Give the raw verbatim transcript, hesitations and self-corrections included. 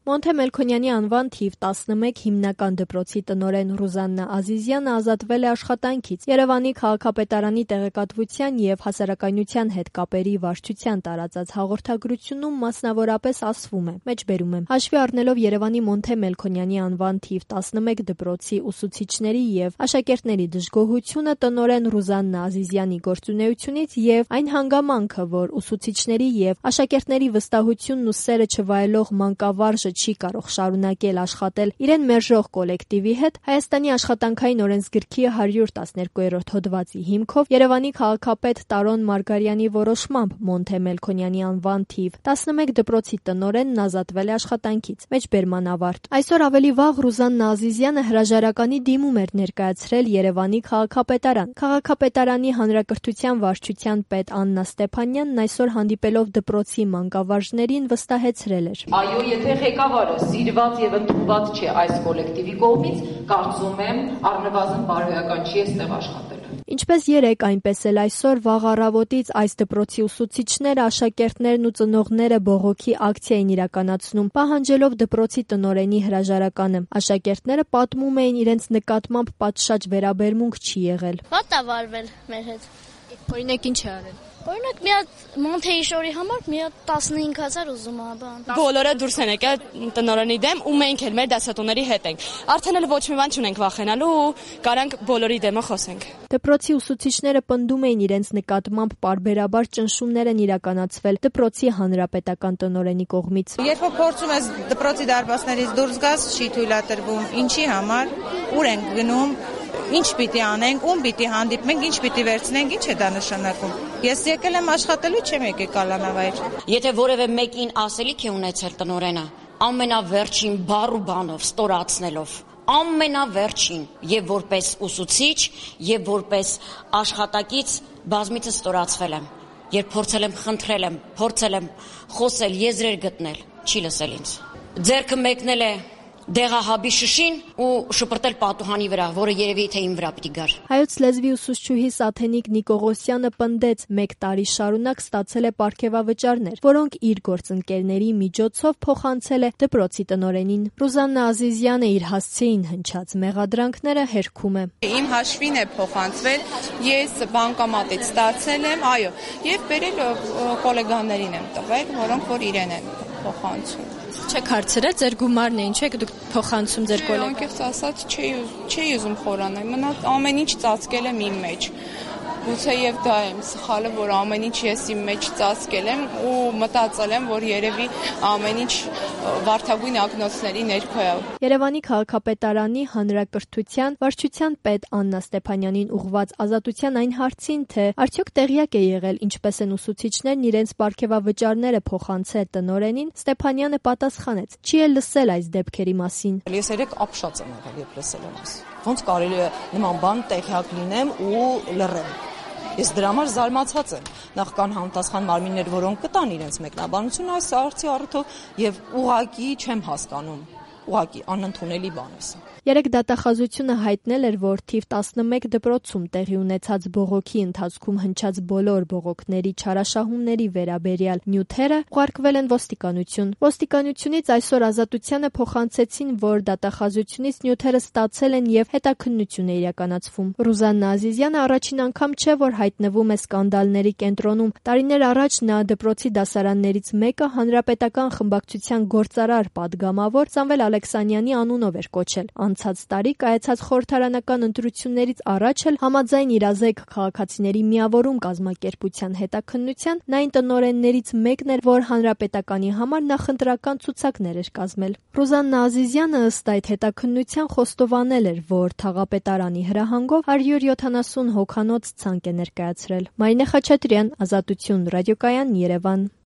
Մոնթե Մելքոնյանի անվան թիվ տասնմեկ հիմնական դպրոցի տնօրեն Ռուզաննա Ազիզյանը ազատվել է աշխատանքից։ Երևանի քաղաքապետարանի տեղեկատվության և հասարակայնության հետ կապերի վարչության տարածած հաղորդագրությունում մասնավորապես ասվում է. մեջբերում է. հաշվի առնելով Երևանի Մոնթե Մելքոնյանի անվան թիվ տասնմեկ դպրոցի ուսուցիչների և աշակերտների դժգոհությունը տնօրեն Ռուզաննա Ազիզյանի գործունեությունից և այն հանգամանքը, որ ուսուցիչների և աշակերտների վստահությունն ու սերը չվայելող մանկավարժը չի կարող շարունակել աշխատել իրեն մերժող կոլեկտիվի հետ, Հայաստանի աշխատանքային օրենսգրքի հարյուր տասներկուերորդ հոդվածի հիմքով Երևանի քաղաքապետ Տարոն Մարգարյանի որոշմամբ Մոնթե Մելքոնյանի անվան թիվ տասնմեկ դպրոցի տնօրենն ազատվել է աշխատանքից։ Մեջբերման ավարտ։ Այսօր ավելի վաղ Ռուզաննա Ազիզյանը հրաժարականի դիմում էր ներկայացրել Երևանի քաղաքապետարան։ Քաղաքապետարանի հանրակրթության վարչության պետ Աննա Ստեփանյանն այսօր հանդիպելով դպրոցի մանկավարժներին վստահեցրել էր. Այո, եթե ղեկավարը սիրված եւ ընդունված չէ այս կոլեկտիվի կողմից, կարծում եմ առնվազն բարոյական չի այստեղ աշխատել։ Ինչպես երեկ, այնպես էլ այսօր վաղ առավոտից այս դպրոցի ուսուցիչները, աշակերտներն ու ծնողները բողոքի ակցիա են իրականացնում, պահանջելով դպրոցի տնօրենի հրաժարականը։ Աշակերտները պատմում էին իրենց նկատմամբ պատշաճ վերաբերմունք չի եղել։ Ո՞տ է վարվել մեր հետ։ Օրինակ ինչ է արել։ Օրինակ մի հատ Մոնթեի շորի համար մի հատ տասնհինգ հազար ուզում ա բան։ Բոլորը դուրս են եկել տնօրենի դեմ ու մենք էլ մեր դասատուների հետ ենք։ Արդեն էլ ոչ մի բան չունենք վախենալու ու կարանք բոլորի դեմը խոսենք։ Դպրոցի ուսուցիչները պնդում էին իրենց նկատմամբ պարբերաբար ճնշումներ են իրականացվել դպրոցի հանրապետական տնօրենի կողմից։ Երբ որ փորձում ես դպրոցի դարպասներից դուրս գաս, չի թույլատրվում։ Ինչի համար, ուր ենք գնում, ինչ պիտի անենք, ում պիտի հանդիպենք, ինչ պիտի վերցնենք, ինչ է դա նշանակում։ Ես եկել եմ աշխատելու, չեմ եկել կալանավայր։ Եթե որևէ մեկին ասելիք է ունեցել տնօրենը, ամենավերջին բառ ու բանով, ստորացնելով, ամենավերջին եւ որպես ուսուցիչ, եւ որպես աշխատակից բազմիցս ստորացվել եմ։ Երբ փորձել եմ խնդրել եմ, փորձել եմ խոսել, եզրեր գտնել, չի լսել ինձ։ Ձեռքը մեկնել է դեղահաբի շշին ու շպրտել պատուհանի վրա, որը երևի թե իմ վրա պիտի գար։ Հայոց լեզվի ուսուցչուհի Սաթենիկ Նիկողոսյանը պնդեց մեկ տարի շարունակ ստացել է պարգևավճարներ, որոնք իր գործընկերների միջոցով փոխանցել է դպրոցի տնօրենին։ Ռուզաննա Ազիզյանը իր հասցեին հնչած մեղադրանքները հերքում է։ Իմ հաշվին է փոխանցվել, ես բանկամատից ստացել եմ, այո, եւ բերել կոլեգաներին եմ տվել, որոնք որ իրեն են փոխանցում։ Չեք հարցրել ձեր գումարն է, ինչ եք դուք փոխանցում ձեր կոլեգա։ Անկեղծ ասած, չի ուզում խորանալ, մնա ամեն ինչ ծածկել եմ իմ մեջ։ Գուցե եւ դա եմ սխալը, որ ամեն ինչ ես իմ մեջ ծածկել եմ ու մտածել եմ, որ երևի ամեն ինչ վարդագույն ակնոցների ներքո է։ Երևանի քաղաքապետարանի հանրակրթության վարչության պետ Աննա Ստեփանյանին ուղղված ազատության այն հարցին, թե արդյոք տեղյակ է եղել ինչպես են ուսուցիչներն իրենց պարգևավճարները փոխանցել տնօրենին, Ստեփանյանը պատասխանեց. չի էլ լսել այս դեպքերի մասին։ Ես երեք ապշած եմ եղել, երբ լսել եմ այս։ Ոնց կարելի է նման բան տեղյակ լինեմ ու լռեմ։ Ես դրա համար զարմացած եմ։ Նախ կան համտասխան մարմիններ, որոնք կտան իրենց մեկնաբանությունը այս հարցի առիթով եւ ուղղակի չեմ հասկանում։ Ուղղակի անընդունելի բան է սա։ Երեք դատախազությունը հայտնել էր, որ թիվ տասնմեկ դպրոցում տեղի ունեցած բողոքի ընթացքում հնչած բոլոր բողոքների չարաշահումների վերաբերյալ նյութերը ուղարկվել են ոստիկանություն։ Ոստիկանությունից այսօր ազատությանը փոխանցեցին, որ դատախազությունից նյութերը ստացել են եւ հետաքննություն է իրականացվում։ Ռուզաննա Ազիզյանը առաջին անգամ չէ, որ հայտնվում է սկանդալների կենտրոնում։ Տարիներ առաջ նա դպրոցի դասարաններից մեկը հանրապետական խմբակցության գործարար պատգամավոր Սամվել Ալեքսանյանի անունով էր կոչել։ Անցած տարի կայացած խորհրդարանական ընտրություններից առաջ էլ համաձայն իրազեկ քաղաքացիների միավորում կազմակերպության հետաքննության նա այն տնօրեններից մեկն էր, որ հանրապետականի համար նախընտրական ցուցակներ էր կազմել։ Ռուզաննա Ազիզյանը ըստ այդ հետաքննության խոստովանել էր, որ թաղապետարանի հրահանգով հարյուր յոթանասուն հոգանոց ցանկ է ներկայացրել։ Մարինե Խաչատրյան, Ազատություն, ռադիոկայան, Երևան։